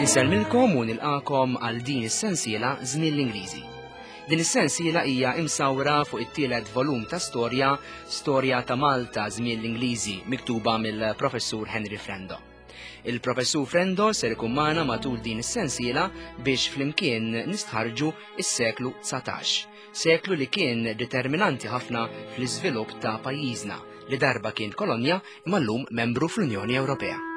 Insellmilkom u nilqakom għal din is-sensiela Żmien l-Ingliżi. Din is-sensiela hija imsawra fuq it-tielet volum ta' storja, Storja ta' Malta Żmien l-Ingliżi, miktuba mill-Professur Henry Frendo. Il-Professur Frendo ser ikun magħna matul din is-sensiela biex flimkien nistħarġu is-seklu 19, seklu li kien determinanti ħafna fl-iżvilupp ta' pajjiżna li darba kien kolonja imma llum membru fl-Unjoni Ewropea.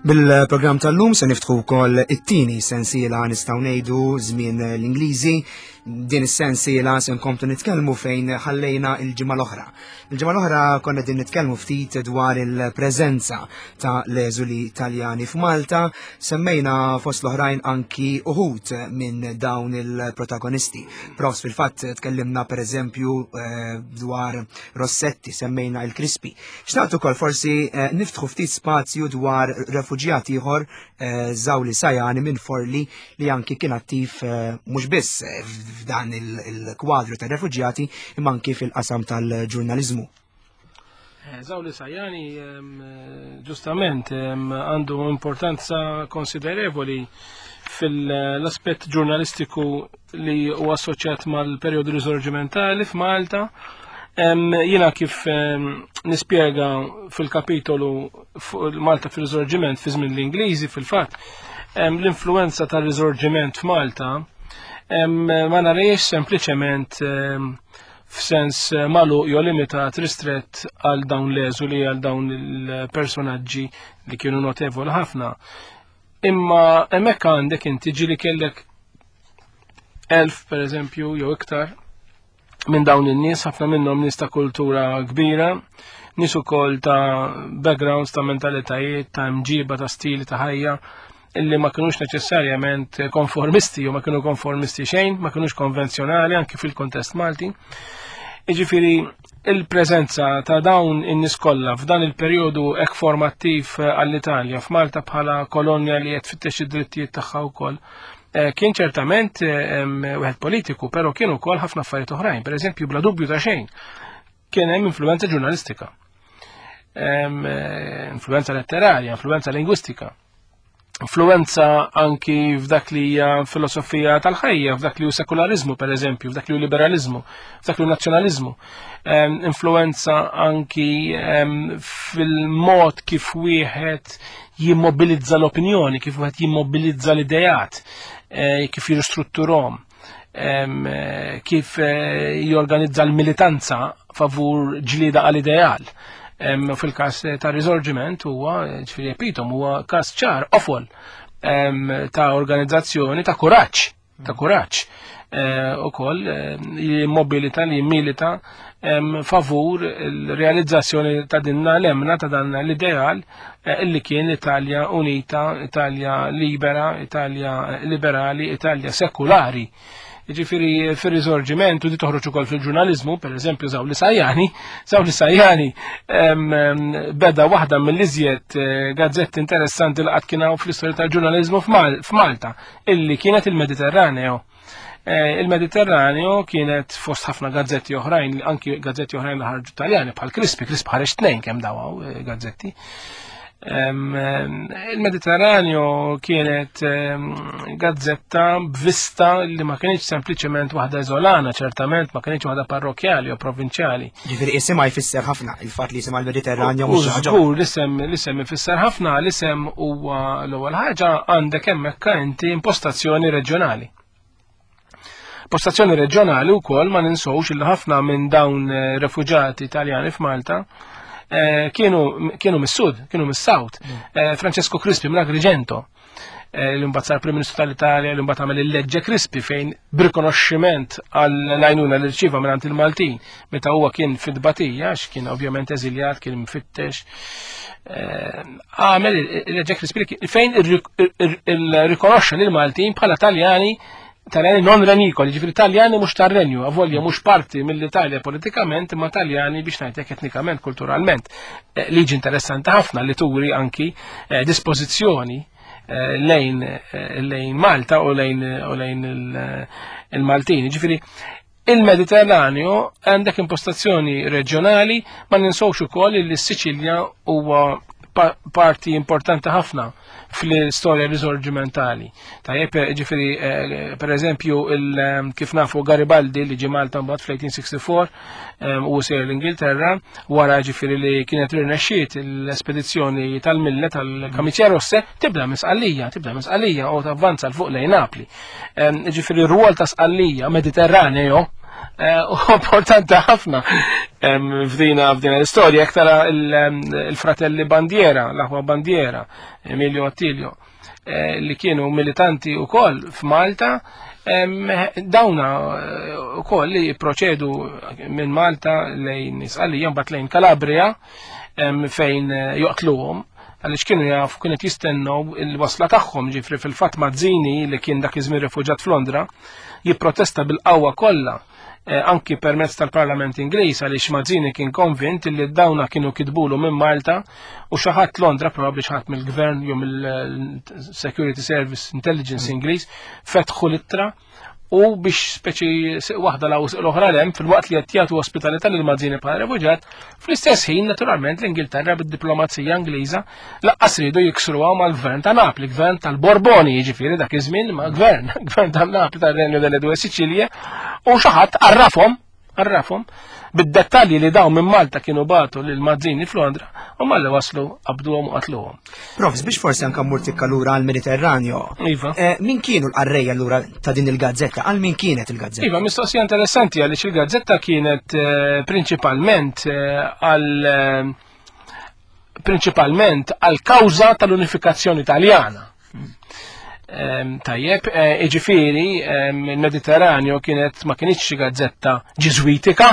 Bil-programm tal-lum se niftħu wkoll it-tieni sensiela nistgħu ngħidu żmien l-Ingliżi. Din is-sensiela se nkomplu nitkellmu fejn ħallejna il-ġimgħa l-oħra. Il-ġimgħa l-oħra konna din nitkellmu ftit dwar il-preżenza ta' l-eżuli Taljani f'Malta, semmejna fost l-oħrajn anki uħud minn dawn il-protagonisti. Profs fil-fatt tkellimna pereżempju eh, dwar Rossetti, semmejna il-Crispi. Xtaqt ukoll forsi eh, niftħu ftit spazju dwar refuġjat ieħor eh, Zawli Sajani minn Forli li anki kien attiv eh, mhux biss f'dan il-kwadru ta' refuġjati imma anki fil-qasam tal-ġurnaliżmu. Zawli Sajani ġustament għandu importanza konsiderevoli fil-aspett ġurnalistiku li huwa assoċjat mal-perjodu risorġimentali f'Malta. Jiena kif nispjega fil-kapitolu Malta fil-Risorġiment fi żmien l-Ingliżi fil-fatt, l-influenza tal-Risorġiment f'Malta ma narejx sempliċement f'sens magħluq jew limitat ristrett għal dawn l-eżuli għal dawn il-personaġġi li kienu notevoli ħafna. Imma hemmhekk għandek inti ġili kellek elf per eżempju jew iktar minn dawn in-nies, ħafna minnhom nies ta' kultura kbira, nies ukoll ta' backgrounds, ta' mentalitajiet, ta' mġiba, ta' stili ta' ħajja, illi ma kinux neċessarjament konformisti u ma kienu konformisti xejn, ma kinux konvenzjonali anki fil-kontest Malti. Iġifieri il-preżenza ta' dawn in-nies kollha f'dan il-perjodu hekk formattiv għall-Italja f'Malta bħala kolonja li qed tfittex id-drittijiet tagħha wkoll eh, kien ċertament eh, wieħed politiku, però kien ukoll ħafna affarijiet oħrajn. Per eżempju, bla dubju ta' xejn, kien hemm influenza ġurnalistika, eh, influenza letterarja, influenza lingwistika influenza anki f'dak li hija filosofija tal-ħajja, f'dak li hu sekularizmu per eżempju, f'dak li hu liberalizmu, f'dak li hu nazzjonalizmu. Influenza anki fil-mod kif wieħed jimmobilizza l-opinjoni, kif wieħed jimmobilizza l-idejat, eh, kif jirristrutturhom, eh, kif eh, jorganizza l-militanza favur ġlieda għal-ideal. Fil-każ ta' Risorgiment huwa ġifieri epitom huwa każ ċar ofol ta' organizzazzjoni ta' kuraġġ, ta' kuraġġ eh, ukoll eh, jimmobilita li jimilita favur il-realizzazzjoni ta' dinna l-emna ta' dan l-ideal eh, illi kien Italja Unita, Italja Libera, Italja Liberali, Italja Sekulari. Ġifiri fir-riżorġiment u di toħroġ ukoll fil-ġurnaliżmu, per eżempju Zawli Sajjani, Zawli Sajjani beda waħda mill-iżjed eh, gazzetti interessanti li qatt kien hawn fl-istorja tal-ġurnaliżmu f'Malta, illi kienet il-Mediterraneo. Eh, Il-Mediterraneo kienet fost ħafna gazzetti oħrajn, anki gazzetti oħrajn li ħarġu Taljani bħal Crispi, Crispi ħareġ tnejn kemm dawaw eh, gazzetti. Il-Mediterraneo kienet gazzetta b'vista li ma kienx sempliċement waħda iżolana, ċertament ma kienx waħda parrokjali u provinċjali. Ġifieri isimha jfisser ħafna, il-fatt li jisimha l-Mediterraneo mhux ħaġa. Żgur, l-isem l-isem ifisser ħafna, l-isem huwa l-ewwel ħaġa għandek hemmhekk inti impostazzjoni reġjonali. Postazzjoni reġjonali wkoll ma ninsowx li ħafna minn dawn eh, refuġati Italjani f'Malta eh, kienu kienu mis-sud, kienu mis-South. Mm. Eh, Francesco Crispi minn Agrigento li mbagħad sar Prim Ministru tal-Italja li mbagħad għamel il-leġġe Crispi fejn b'rikonoxximent għall-għajnuna li rċieva mingħand il-Maltin meta huwa kien fid-batija għax kien ovvjament eżiljat, kien mfittex. Għamel il-leġġe Crispi fejn irrikonoxxa lil Maltin bħala Taljani Taljani non renikoli, ġifiri Taljani mhux tar-renju, avolja mhux parti mill-Italja politikament, imma Taljani biex ngħidlek etnikament, kulturalment. Eh, liġi interessanti ħafna li turi anki eh, dispożizzjoni eh, lejn lejn Malta u lejn u lejn il-Maltin. Ġifiri, Il-Mediterranju għandek impostazzjoni reġjonali, ma ninsewx ukoll li s-Siċilja huwa parti importanti ħafna fl-istorja risorġimentali. Tajjeb, ġifieri, eh, per eżempju, eh, kif nafu Garibaldi li ġie Malta mbagħad fl-1864 eh, u sejr l-Ingilterra, wara ġifieri li kienet rirnexxiet l-espedizzjoni tal-Mille tal-Kamiċja Rosse, tibda minn Sqallija, tibda minn Sqallija u tavvanza l fuq lejn Napli. Ġifieri r-rwol ta' Sqallija Mediterraneo u importanti ħafna f'dina f'dina l-istorja, jekk tara il-fratelli Bandiera, l-aħwa Bandiera, Emilio Attilio, eh, li kienu militanti u koll f'Malta, dawna eh, u koll li proċedu minn Malta lejn Isqalija, mbagħad lejn Kalabria, fejn eh, joqtluhom għaliex kienu jafu kienet jistennew il-wasla tagħhom ġifri fil-fatt Mazzini li kien dak iż-żmien rifuġat f'Londra jipprotesta bil-qawwa kollha eh, anki permezz tal-Parlament Ingliż għaliex Mazzini kien konvint li dawna kienu kitbulu minn Malta u xi ħadd Londra probabbli xi ħadd mill-gvern jew mill-Security Service Intelligence Ingliż fetħu l-ittra u biex speċi waħda la l-oħra lem fil-waqt li qed jagħtu ospitalità lil Mazzini bħala refuġjat, fl-istess ħin naturalment l-Ingilterra bid-diplomazija Ingliża laqqas ridu jiksruha mal-gvern ta' Napli, gvern tal-Borboni, jiġifieri dak iż-żmien ma' gvern, gvern ta' Napli tar-Renju delle Due Sicilie, u xi ħadd arrafhom Għarrafhom bid-dettalji li dawn minn Malta kienu bagħtu lil Mazzini f'Londra u malli waslu qabduhom u qatluhom. Profs, biex forsi anka mmur tikka lura għall-Mediterranjo. Iva. Eh, min kienu l-qarrejja lura ta' din il-gazzetta? Għal min kienet il-gazzetta? Iva, mistoqsija interessanti għaliex il-gazzetta kienet eh, prinċipalment eh, għal prinċipalment għal kawża tal-unifikazzjoni Taljana. Tajjeb, eh, iġifieri il-Mediterranju kienet ma kienx xi gazzetta ġiżwitika,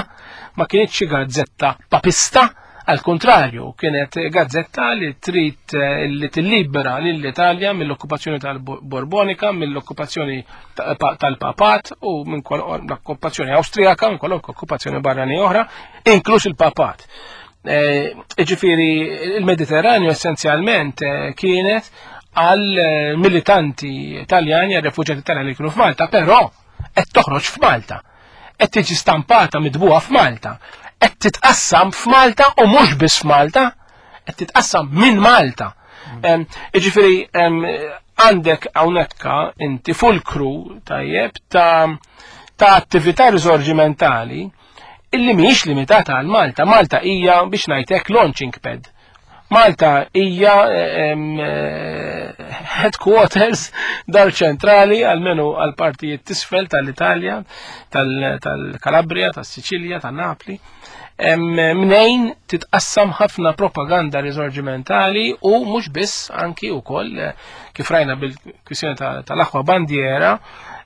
ma kienx xi gazzetta papista, għal kontrarju, kienet gazzetta li trid eh, li tillibera lill-Italja mill-okkupazzjoni tal-Borbonika, mill-okkupazzjoni tal-Papat u minn l-okkupazzjoni Awstrijaka, minn kwalunkwe okkupazzjoni barrani oħra, inkluż il-Papat. Eh, ġifieri il-Mediterranju essenzjalment eh, kienet għal eh, militanti Taljani, għal refuġjati Taljani li kienu f'Malta, però qed toħroġ f'Malta. Qed tiġi stampata midbuha f'Malta. Qed titqassam f'Malta u mhux biss f'Malta, qed titqassam minn Malta. Mm. Ġifieri għandek hawnhekk inti fulkru tajjeb ta' ta' attività risorġimentali illi mhijiex limitata għal Malta. Malta hija biex ngħidlek launching pad. Malta hija eh, headquarters dar ċentrali għalmenu għal partijiet tisfel tal-Italja, tal-Kalabria, tas-Siċilja, tan-Napli. Mnejn titqassam ħafna propaganda risorġimentali u mhux biss anki wkoll eh, kif rajna bil-kwistjoni tal-aħwa bandiera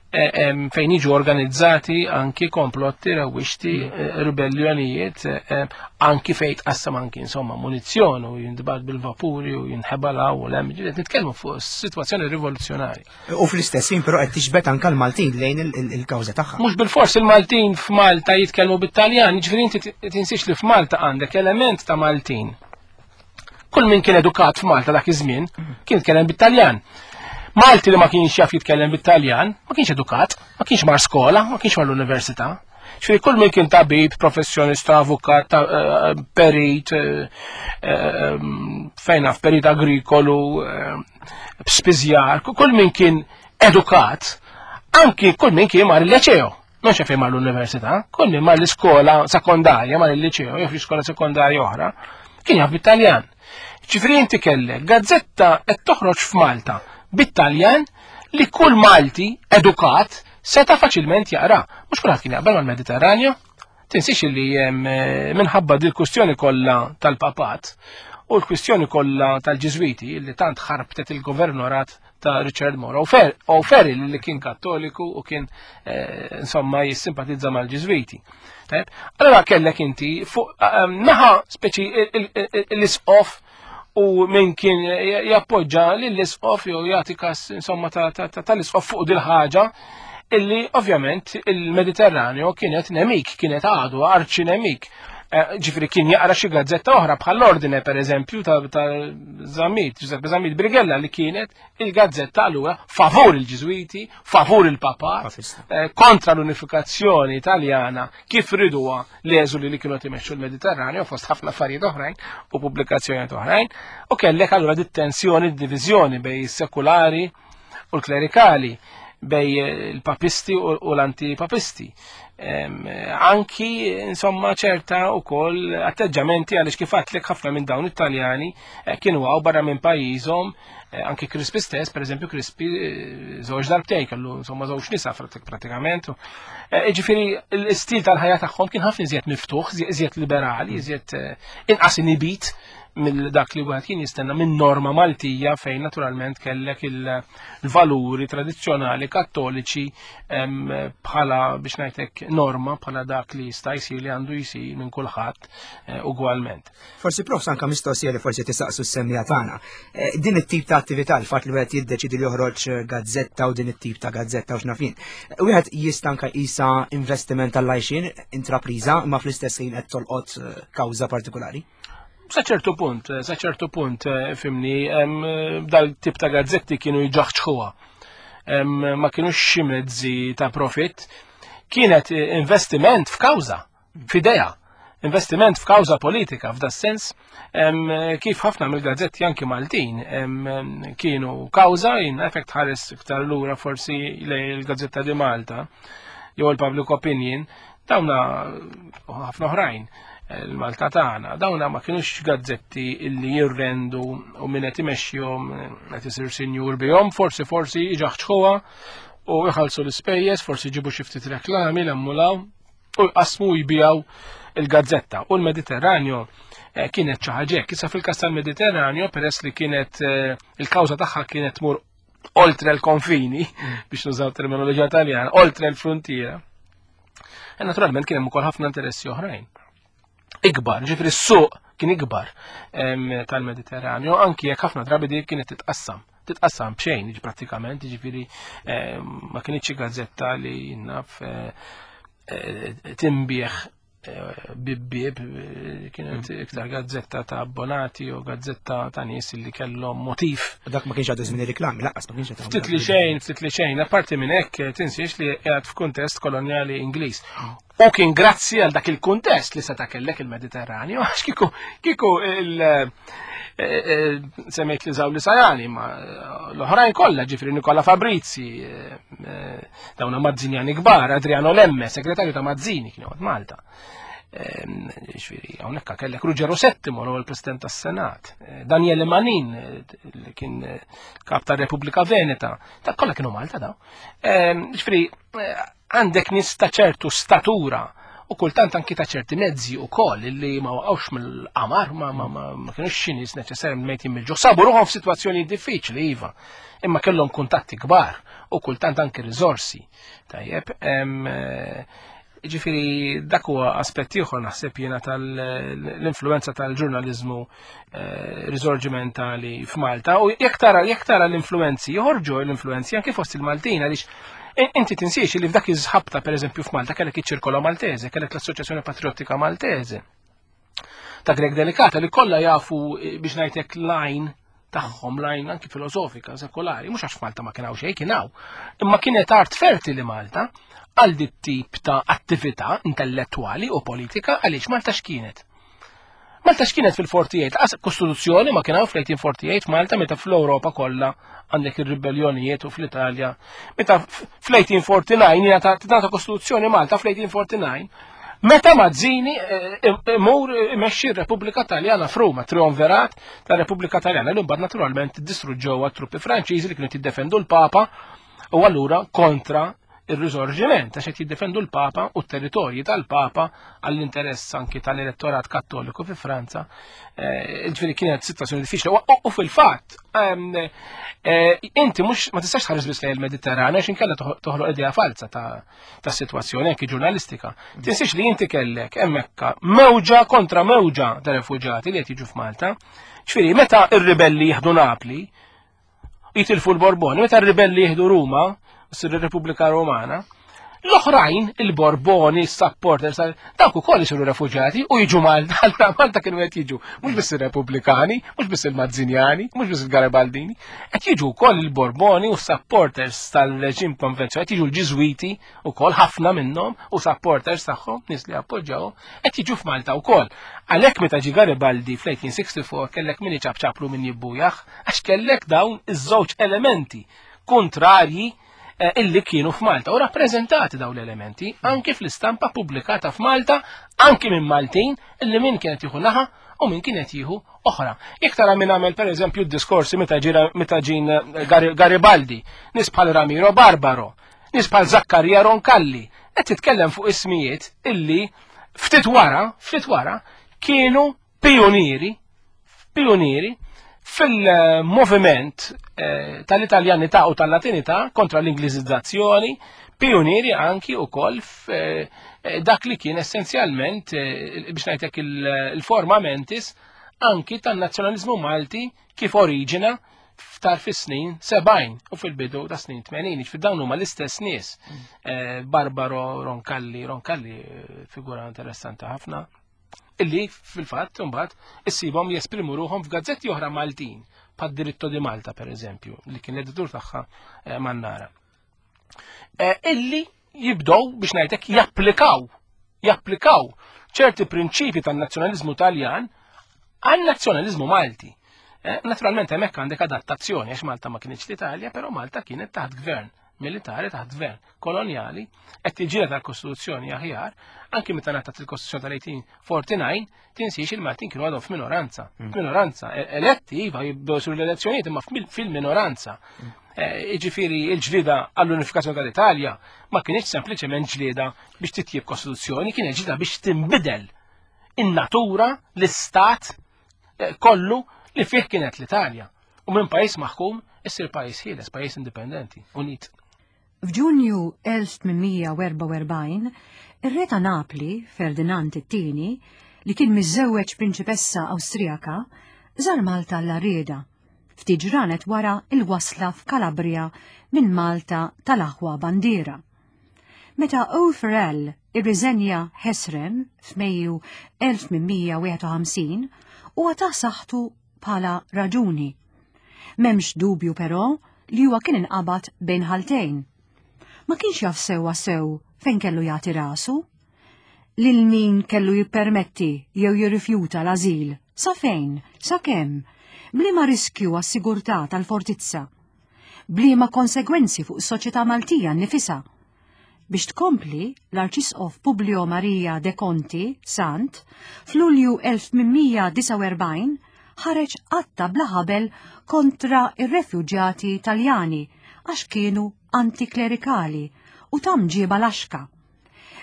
Eh, fejn jiġu organizzati anki komplotti, rewwixti, mm. eh, ribellionijiet, eh, anki fejn tqassam anki insomma munizzjon u jindbat bil-vapuri u jinħebala u l-hemm, nitkellmu fuq situazzjoni rivoluzzjonarja. U fl-istess ħin però qed tixbet anke l-Maltin lejn il-kawża tagħha. Mhux bil-fors il-Maltin f'Malta jitkellmu bit-Taljan, jiġifieri inti tinsiex li f'Malta għandek element ta' Maltin. Kull min kien edukat f'Malta dak iż-żmien kien jitkellem bit-Taljan. Malti li ma kienx jaf jitkellem bit-Taljan, ma kienx edukat, ma kienx mar skola, ma kienx mar l-università. Ġifieri kull min kien tabib, professjonista, avukat, eh, perit, eh, eh, fejn naf perit agrikolu, spiżjar, kull min kien edukat, anki kull min kien mar il-leċeo. Mhux fejn mar l-università, kull min mar l-iskola sekondarja, mar il-liċeo, jew iskola sekondarja oħra, kien jaf bit-Taljan. Ġifieri inti kellek gazzetta qed toħroġ f'Malta bit-Taljan li kull Malti edukat seta' faċilment jaqra. Mhux kulħadd kien jaqbel mal-Mediterranju. Tinsiex li eh, minħabba dil kwistjoni kollha tal-papat u l-kwistjoni kollha tal-Ġiżwiti li tant ħarbtet il-governorat ta' Richard Moore O'Farrell li kien kattoliku u kien eh, insomma jissimpatizza mal-Ġiżwiti. Allora kellek inti fuq eh, naħa speċi l-isqof u min kien jappoġġa lill-isqof jew jagħti kas insomma tal-isqof fuq dil-ħaġa illi ovvjament il-Mediterraneo kienet nemik, kienet għadu arċi nemik. Eh, ġifieri kien jaqra xi gazzetta oħra bħall-Ordine pereżempju ta' Zammit, Giuseppe Zammit Brigella li kienet il-gazzetta allura favur il-Ġiżwiti, favur il-Papat, eh, kontra l-unifikazzjoni Italjana kif riduha l-eżuli li kienu qed imexxu l-Mediterranju fost ħafna affarijiet oħrajn u pubblikazzjonijiet oħrajn, u kellek allura dit-tensjoni, d-diviżjoni bejn is-sekulari u l-klerikali bej il-papisti u l-antipapisti. Anki, insomma, ċerta u koll atteġġamenti għaliex kif għatlek ħafna minn dawn it-Taljani eh, kienu għaw barra minn pajjiżhom, eh, anki Crispi stess, per eżempju, Crispi eh, żewġ darbtejn kellu insomma żewġ nisa pratikament. Ġifieri l-istil tal-ħajja tagħhom kien ħafna iżjed miftuħ, iżjed liberali, iżjed inqas inibit mill dak li wieħed kien jistenna minn norma Maltija fejn naturalment kellek il-valuri tradizzjonali kattoliċi bħala biex ngħidlek norma bħala dak li jista' jsir li għandu jsir minn kulħadd eh, ugwalment. Forsi prof anka mistoqsija li forsi tisaqsu s-semmija tagħna. Eh, din it-tip ta' attività l-fatt li wieħed jiddeċidi li joħroġ gazzetta u din it-tip ta' gazzetta u x'nafin. Eh, wieħed jista' anka jisa investiment tal-lajxin intrapriża ma fl-istess ħin qed tolqot kawża partikolari. Sa ċertu punt, sa ċertu punt, eh, fimni, dal-tip ta' gazzetti kienu jġaħċħuha. Ma kienux xi mezzi ta' profit, kienet eh, investiment f'kawża, f'idea, investiment f'kawża politika f'da sens kif ħafna mill-gazzetti anki Maltin kienu kawża in effect ħares iktar lura forsi lejn il-Gazzetta di Malta jew il-Public Opinion Dawna ħafna oħrajn il-Malta tagħna, dawna ma kienux gazzetti illi jirrendu u min qed imexxihom qed isir sinjur bihom, forsi forsi iġaħċħuha u jħallsu l-ispejjeż, forsi jġibu xi ftit reklami l-ammulaw u jqasmu jbijaw il-gazzetta. U l-Mediterranju eh, kienet xi ħaġa Issa fil-każ tal-Mediterranju peress li kienet eh, il-kawża tagħha kienet tmur oltre l-konfini, biex nużaw terminoloġija taljana, oltre l-frontiera. E naturalment kien hemm ukoll ħafna interessi oħrajn. Ikbar, ġifri s-suq kien ikbar tal-Mediterranju, anki jekk ħafna drabi dik kienet titqassam titqassam b'xejn prattikament, ġifieri ma kienx gazzetta li naf eh, eh, timbieħ bibbib kienet mm. iktar gazzetta ta' abbonati u gazzetta ta' nies li kellhom motiv. Dak ma kienx għadu żmien reklami, laqas ma kienx għadu. Ftit li xejn, ftit li xejn, apparti minn hekk tinsiex li qiegħed f'kuntest kolonjali Ingliż. U kien grazzi għal dak il-kuntest li seta' kellek il-Mediterranju, għax kieku kieku il- eh, eh, semmejt li zawli sajani, ma l-oħrajn kollha ġifri Nikola Fabrizi, eh, Dawna Mazzinjani kbar, Adriano Lemme, segretarju ta' Mazzini kien joqgħod Malta. Ehm, ġifieri, hawnhekk kellek Ruggero Settimo, l-ewwel President tas-Senat, eh, Daniele Manin, eh, li kien eh, kap tar-Repubblika Veneta, ta' kollha kienu Malta daw. Ehm, ġifieri, għandek nies ta' ċertu statura u kultant anki ta' ċerti mezzi u koll li ma waqgħux mill-qamar, ma, ma, ma, ma kienux xi nies neċessarjament mejtin mill-ġuħ. Sabu ruħhom f'sitwazzjoni diffiċli, iva, imma kellhom kuntatti kbar u kultant anki riżorsi. Tajjeb, eh, ġifiri dak huwa aspett ieħor naħseb jiena tal-influenza tal-ġurnaliżmu eh, risorġimentali f'Malta u jekk tara jekk tara l-influenzi joħorġu l-influenzi anke fost il-Maltin għaliex inti tinsiex li f'dak iż-ħabta pereżempju f'Malta kellek iċ-Ċirkola Maltese, kellek l-Assoċjazzjoni Patriottika Maltese ta' Greg Delicata li kollha jafu eh, biex ngħidlek lajn tagħhom lajn anki filosofika, sekolari, mhux għax Malta ma kien hawn xejn kien hawn. Imma kienet art fertili Malta għal dit tip ta' attività intellettwali u politika għaliex Malta x'kienet. Malta x'kienet fil-48, qas kostituzzjoni ma kien hawn fl-1848 Malta meta fl-Ewropa kollha għandek ir-ribellionijiet u fl-Italja. Meta fl-1849 jingħata kostituzzjoni Malta fl-1849 Meta Mazzini eh, imur imexxi r-Repubblika Taljana f'Ruma, trionverat tar-Repubblika Taljana li mbagħad naturalment distruġġew truppi Franċiżi li kienu jiddefendu l-Papa u allura kontra ir-risorġiment għax qed jiddefendu l-Papa u t-territorji tal-Papa għall-interess anki tal-elettorat kattoliku fi Franza. Eh, ġifieri kienet sitwazzjoni diffiċli. U fil-fatt, ehm, eh, inti mhux ma tistax tħares biss lejn il-Mediterran għax inkella toħloq idea falsa ta' sitwazzjoni anki ġurnalistika. Tinsiex li inti kellek hemmhekk mewġa kontra mewġa ta' refuġati li qed jiġu f'Malta. Ġifieri meta r-ribelli jieħdu Napli, jitilfu l-Borboni, meta r-ribelli jieħdu Ruma, ssir ir-Repubblika Romana, L-oħrajn, il-Borboni, supporters, dawk ukoll isiru refuġjati u jiġu Malta, allura Malta kienu qed jiġu mhux biss ir-Repubblikani, mhux biss il-Mazzinjani, mhux biss il-Garibaldini, qed jiġu wkoll il-Borboni u supporters tal-reġim konvenzjonali, qed jiġu l-Ġiżwiti wkoll ħafna minnhom u supporters tagħhom, nies li appoġġjaw, qed jiġu f'Malta wkoll. Għalhekk meta ġie Garibaldi fl-1864 kellek min iċapċaplu min jibbujaħ, għax kellek dawn iż-żewġ elementi kontrarji eh, illi kienu f'Malta u rappreżentati dawn l-elementi anki fl-istampa pubblikata f'Malta anki minn Maltin illi min kienet jieħu naħa u min kienet jieħu oħra. Jekk tara min għamel pereżempju d-diskorsi meta ġira meta ġin eh, Garibaldi, nies bħal Ramiro Barbaro, nies bħal Zakkarija Roncalli, qed titkellem fuq ismijiet illi ftit wara, ftit wara kienu pionieri, pionieri fil-moviment eh, tal-Italjanità u tal-Latinità kontra l-Ingliżizzazzjoni, pionieri anki u koll eh, dak li kien essenzjalment, eh, biex ngħidlek il-forma mentis, anki tan-nazzjonalizmu Malti kif oriġina ftar fis-snin 70 u fil-bidu ta' snin 80, ġifieri dawn huma l-istess nies. Barbaro Roncalli, Roncalli figura interessanti ħafna, illi fil-fatt imbagħad issibhom jesprimu ruħhom f'gazzetti oħra Maltin, bħad Diritto di Malta pereżempju, li kien l-editur tagħha eh, Mannara. Eh, illi jibdow biex ngħidlek japplikaw japplikaw ċerti prinċipi tan-nazzjonaliżmu Taljan għan-nazzjonaliżmu Malti. Eh, naturalment hemmhekk għandek adattazzjoni għax Malta ma kienx l-Italja, però Malta kienet taħt gvern militari taħt gvern kolonjali qed tiġġieled għall-Kostituzzjoni aħjar, anki meta ngħatat il-Kostituzzjoni tal-1849, tinsiex il-Maltin kienu għadhom f'minoranza. Mm. Minoranza, e, eletti, iva, jibdew sur l-elezzjonijiet, imma fil-minoranza. Mm. E, jiġifieri il-ġlieda għall-unifikazzjoni tal-Italja ma kienx sempliċement ġlieda biex titjib Kostituzzjoni, kienet ġlieda biex tinbidel in-natura, l-istat e, kollu li fih kienet l-Italja. U minn pajjiż maħkum issir pajjiż ħieles, pajjiż indipendenti, unit. F'Ġunju 1844, ir-re ta' Napli, Ferdinand it-Tieni, li kien miżżewweġ prinċipessa Awstrijaka, żar Malta għall-għarrieda, ftit ġranet wara l-wasla f'Kalabria minn Malta tal-aħwa Bandiera. Meta O'Farrell irriżenja ħesrem f'Mejju 1851, huwa ta saħħtu bħala raġuni. M'hemmx dubju però li huwa kien inqabad bejn ħaltejn. Ma kienx jaf sewwa sew fejn kellu jagħti rasu. Lil min kellu jippermetti jew jirrifjuta l-ażil, sa fejn, sa kemm, b'liema riskju għas-sigurtà tal-fortizza, b'liema konsegwenzi fuq is-soċjetà Maltija nnifisha. Biex tkompli, l-Arċisqof Publio Maria de Conti, Sant, f'Lulju 1849 ħareġ qatta bla ħabel kontra r-refuġjati Taljani għax kienu antiklerikali u ta' mġiba laxka.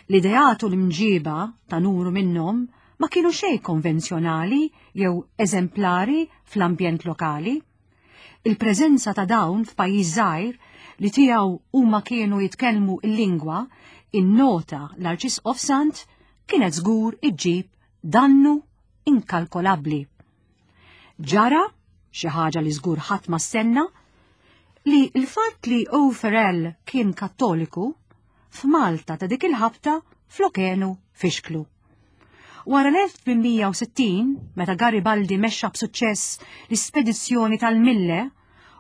L-ideat u l-imġiba ta' numru minnhom ma kienu xejn konvenzjonali jew eżemplari fl-ambjent lokali. Il-preżenza ta' dawn f'pajjiż żgħir li tiegħu huma kienu jitkellmu l-lingwa, innota l-Arċisqof Sant, kienet żgur iġġib dannu inkalkolabbli. Ġara, xi ħaġa li żgur ħadd ma stenna, li l-fatt li O. Farrell kien Kattoliku, f'Malta ta' dik il-ħabta flokenu fixklu. Wara l-1860, meta Garibaldi mexxa b'suċċess l-ispedizzjoni tal-Mille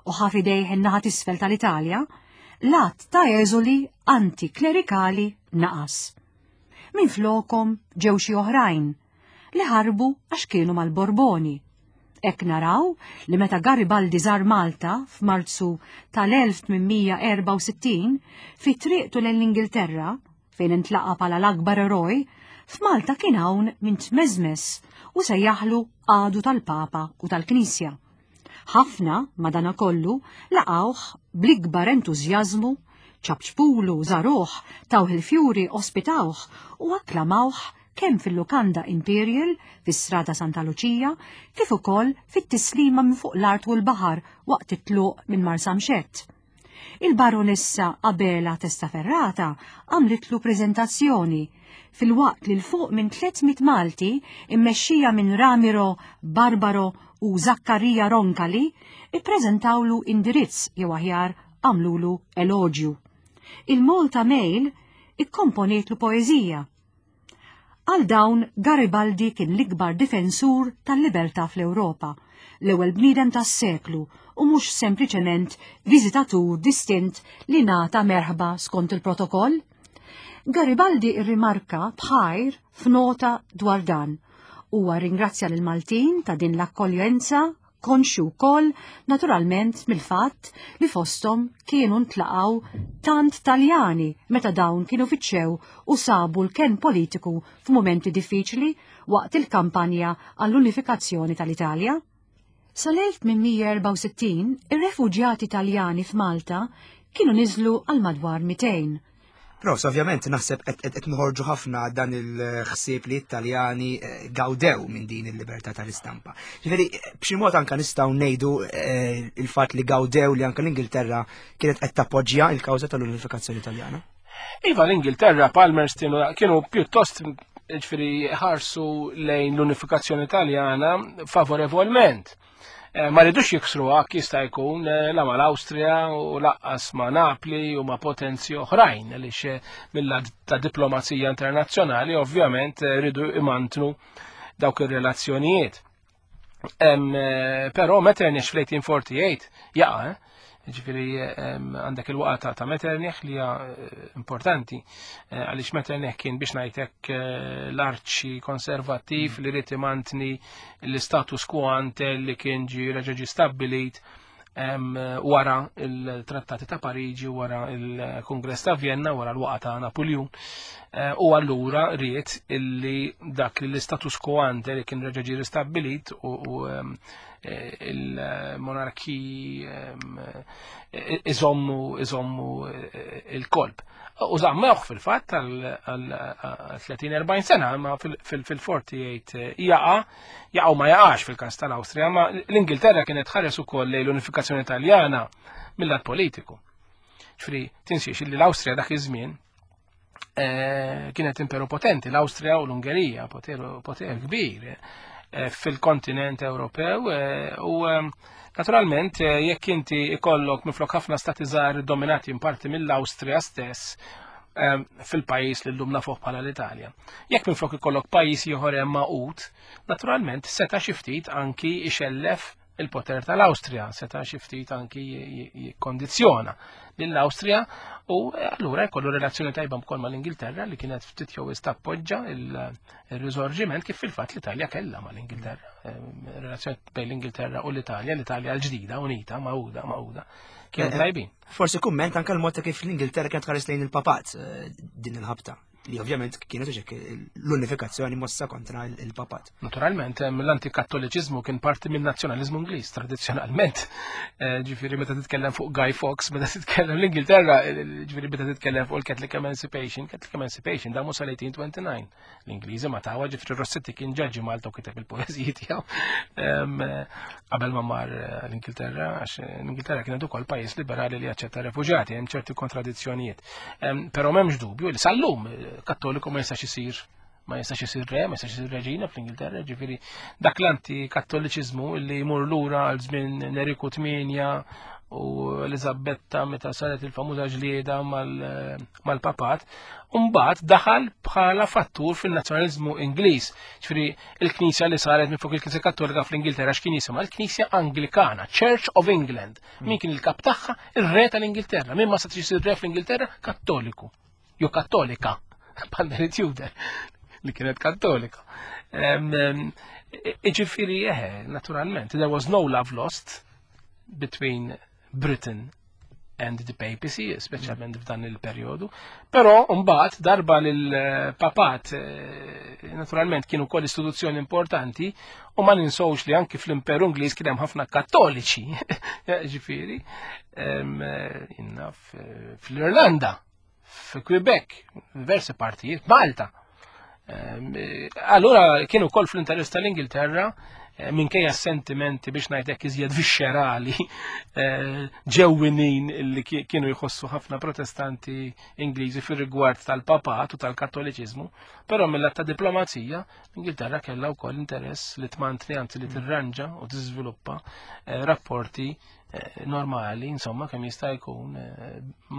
u ħa f'idejh in-naħa t'isfel tal-Italja, l-għadd ta' eżuli antiklerikali naqas. Minflokhom ġew xi oħrajn li ħarbu għax kienu mal-Borboni. Hekk naraw li meta Garibaldi żar Malta f'Marzu tal-1864 fi triqtu lejn l-Ingilterra, fejn intlaqa' bħala l-akbar eroj, f'Malta kien hawn min tmeżmeż u sejjaħlu għadu tal-Papa u tal-Knisja. Ħafna, madanakollu, laqgħuh bl-ikbar entużjażmu, ċapċpulu, żaruh, tawh il-fjuri, ospitawh u akklamawh kemm fil-Lukanda Imperial fi Strada Santa Luċija kif ukoll fit-tislima minn fuq l-art u l-baħar waqt it-tluq minn Marsamxett. Il-Baronessa Abela Testaferrata għamlitlu preżentazzjoni filwaqt li 'l fuq minn 300 Malti immexxija minn Ramiro Barbaro u Zaccaria Roncalli ippreżentawlu indirizz jew aħjar għamlulu eloġju. Il-Malta Mail. ikkomponietlu poeżija. Għal dawn Garibaldi kien l-ikbar difensur tal-libertà fl-Ewropa, l-ewwel bniedem tas-seklu u mhux sempliċement viżitatur distint li ngħata merħba skont il-protokoll. Garibaldi rrimarka b'ħajr f'nota dwar dan. Huwa rringrazzja lill-Maltin ta' din l-akkoljenza konxju wkoll naturalment mill-fatt li fosthom kienu ntlaqgħu tant Taljani meta dawn kienu fittxew u sabu l-kenn politiku f'mumenti diffiċli waqt il-kampanja għall-unifikazzjoni tal-Italja. Sal-1864 ir-refuġjati Taljani f'Malta kienu niżlu għal madwar 200. Profs, ovvjament naħseb qed noħorġu ħafna dan il-ħsieb li t-Taljani eh, gawdew minn din il-libertà tal-istampa. Ġifieri b'xi mod anke nistgħu ngħidu eh, il-fatt li gawdew li anke l-Ingilterra kienet qed tappoġġja il-kawża tal-unifikazzjoni Taljana. Iva l-Ingilterra Palmerston kienu pjuttost ġifieri ħarsu lejn l-unifikazzjoni Taljana favorevolment. Eh, ma ridux jiksruha jista' jkun eh, la mal-Awstrija u laqqas ma' Napli u ma' potenzi oħrajn għaliex eh, mill-lat ta' diplomazija internazzjonali ovvjament ridu imantnu dawk ir-relazzjonijiet. Però Metternich fl-1848 jaqa' Ġifieri għandek il-waqa ta' Metternich li hija eh, importanti eh, għaliex Metternich kien biex ngħidlek eh, l-arċi konservattiv li rid imantni l-status quo ante li kien ġi reġa' ġi stabbilit wara il-Trattati ta' Pariġi, wara il-Kongress ta' Vienna, wara l-waqa ta' Napoleon. U allura ried illi dak li l-status quo ante li kien reġa' ġi ristabbilit u Eh, il-monarki ehm, eh, iżommu iżommu eh, il-kolb. U zammewh fil-fatt għal 30-40 sena, ma fil-48 jaqa, jaqa u ma jaqax fil-kas tal-Awstrija, ma l-Ingilterra kienet ħares ukoll lejn l-unifikazzjoni Taljana mill-lat politiku. Ġifieri, tinsiex li l-Awstrija dak iż-żmien Eh, kienet imperu potenti, l-Awstrija u l-Ungerija, poter, poter kbir eh, fil-kontinent Ewropew eh, u naturalment jekk inti ikollok minflok ħafna stati żgħar dominati in parti mill-Awstrija stess fil-pajjiż li llum nafuh bħala l-Italja. Jekk minflok ikollok pajjiż ieħor hemm magħqud, naturalment seta' xi ftit anki ixellef il-poter tal-Awstrija seta' xi ftit anki jikkondizzjona lill-Awstrija u eh, allura jkollu relazzjoni tajba wkoll mal-Ingilterra li kienet ftit jew tappoġġa il-riżorġiment kif fil-fatt l-Italja kellha mal-Ingilterra. Eh, relazzjoni bejn l-Ingilterra u l-Italja, l-Italja l-ġdida, unita, magħquda, magħquda, kienu eh, tajbin. Forsi kumment anke l-mod ta' kif l-Ingilterra kienet tħares lejn il-papat din il-ħabta. li ovvjament kienet uxek l-unifikazzjoni mossa kontra il-papat. Naturalment, l-antikattoliċiżmu kien parti minn nazzjonalizmu Ingliż tradizzjonalment. Eh, ġifieri meta titkellem fuq Guy Fawkes, meta titkellem l-Ingilterra, eh, ġifieri meta titkellem fuq il-Catholic Emancipation, Catholic Emancipation damu sal-1829. L-Ingliżi ma tawa ġifieri Rossetti kien ġaġi Malta u kiteb il-poeżiji tiegħu eh, qabel ma mar l-Ingilterra, għax l-Ingilterra kienet ukoll pajjiż liberali li jaċċetta refuġjati, hemm ċerti kontradizzjonijiet. Però m'hemmx dubju li sal-lum eh, kattoliku ma jistax isir ma jistax isir re, ma jistax isir reġina fl-Ingilterra, ġifieri dak l-antikattoliċiżmu li jmur lura għal żmien Neriku 8 u Elizabetta meta saret il-famuża ġlieda mal-papat, mbagħad daħal bħala fattur fin-nazzjonaliżmu Ingliż. Ġifieri il-Knisja li saret minn fuq il-Knisja Kattolika fl-Ingilterra x'kien jisimha l-Knisja Anglikana, Church of England. Min kien il-kap tagħha? Ir-re tal-Ingilterra. Min ma setax isir re fl-Ingilterra? Kattoliku. Jew kattolika. Bħal Mary Tudor li kienet kattolika. Iġifieri eħe, naturalment, there was no love lost between Britain and the papacy, speċjalment f'dan il-perjodu. Però mbagħad darba lil-papat eh, naturalment kienu wkoll istituzzjoni importanti u ma ninsewx li anki fl-Imperu Ingliż kien hemm ħafna kattoliċi, ġifieri, eh, fl-Irlanda, fi Quebec, diversi partijiet, Malta. Allura kienu wkoll fl-interess tal-Ingilterra Eh, minkejja sentimenti biex ngħidlek iżjed viscerali eh, ġewwinin li kienu jħossu ħafna protestanti Ingliżi fir-rigward tal-papat u tal-kattoliċiżmu, però mill-att ta' diplomazija l-Ingilterra kellha wkoll interess li tmantni anzi li tirranġa u tiżviluppa eh, rapporti normali, insomma, kemm jista' jkun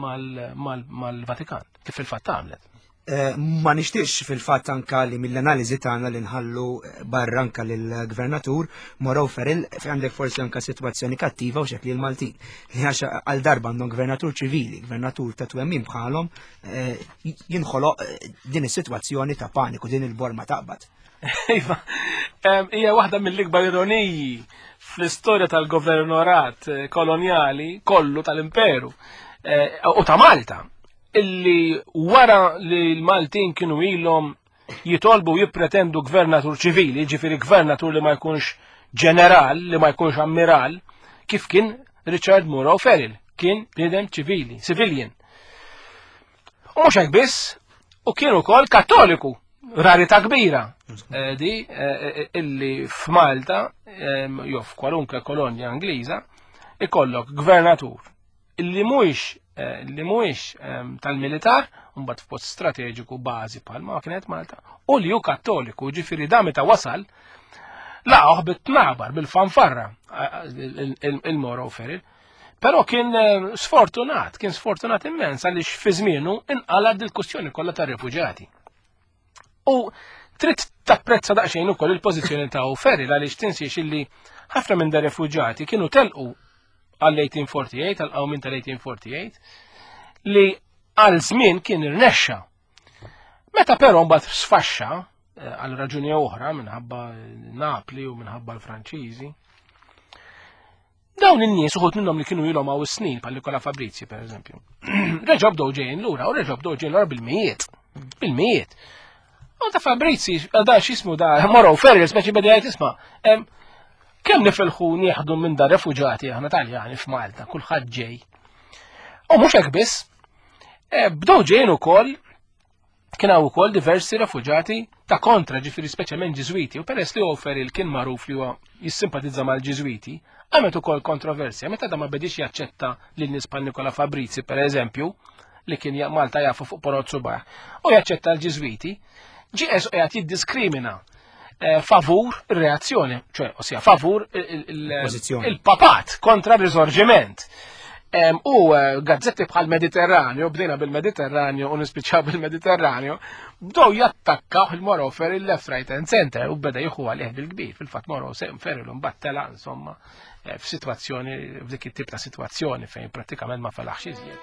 mal-Vatikan, kif il-fatt għamlet. Eh, ma nixtiex fil-fatt anka li mill-analiżi tagħna li nħallu eh, barra anka lill-gvernatur Moro Feril fi għandek forsi anka sitwazzjoni kattiva u xekli l-Maltin. Li għax għal darba għandhom gvernatur ċivili, gvernatur ta' twemmin bħalhom eh, jinħoloq din is-sitwazzjoni ta' paniku, din il-borma taqbad. Iva, hija waħda mill-ikbar ironiji fl-istorja tal-governorat kolonjali kollu tal-imperu u ta' Malta illi wara li l-Maltin kienu ilhom jitolbu u jippretendu gvernatur ċivili, ġifieri gvernatur li ma jkunx ġeneral, li ma jkunx ammiral, kif kien Richard Muro Ferrell, kien bniedem ċivili, civilian. U mhux hekk biss, u kien ukoll kattoliku, rarità kbira eh, di eh, eh, illi f'Malta jew f'kwalunkwe kolonja Ingliża ikollok gvernatur li mhuwiex eh, li mhuwiex ehm, tal-militar, mbagħad f'post strateġiku bażi bħalma kienet Malta, u li hu kattoliku, ġifieri da meta wasal laqgħu bit-tnabar bil-fanfarra eh, il-Moro Feril. Però kien eh, sfortunat, kien sfortunat immens għaliex fi żmienu inqala dil-kwistjoni kollha tar-refuġjati. U trid tapprezza daqsxejn ukoll il-pożizzjoni ta' Feril għaliex tinsiex illi ħafna minn da refuġjati kienu telqu għall-1848, għal-qawmin tal-1848, li għal żmien kien irnexxa. Meta però mbagħad sfaxxa eh, għal raġuni oħra minħabba Napli u minħabba l-Franċiżi, Dawn in-nies uħud minnhom li kienu ilhom hawn snin bħal Nikola Fabrizi pereżempju. Reġgħu bdew ġejjin lura u reġgħu bdew ġejjin lura bil-mijiet. Bil-mijiet. U ta' Fabrizi, da x'ismu da Moro Ferri, speċi beda jgħid isma' kemm nifilħu nieħdu minn da refuġati aħna Taljani f'Malta, kulħadd ġej. U mhux hekk biss, eh, bdew ġejjin ukoll Kien hawn ukoll diversi refuġati ta' kontra, ġifieri speċjalment Ġiżwiti, u peress li O'Farrell kien magħruf li huwa jissimpatizza mal-Ġiżwiti, għamet ukoll kontroversja meta da ma bedix jaċċetta lil nies bħal Nikola Fabrizi pereżempju, li kien Malta jafu fuq Porot Subaħ, u jaċċetta l-Ġiżwiti, ġie qiegħed jiddiskrimina eh, favur ir-reazzjoni, ċoe, ossia favur il-papat kontra r-risorġiment. U eh, gazzetti bħal Mediterranju, bdejna bil-Mediterranju u nispiċċaw bil-Mediterranju, bdew jattakkaw il-Moro Ferry left, right and center u beda jieħu għalih bil-kbir. Fil-fatt Moro Ferry l tela insomma eh, f'sitwazzjoni, f'dik it-tip ta' sitwazzjoni fejn prattikament ma felaħx iżjed.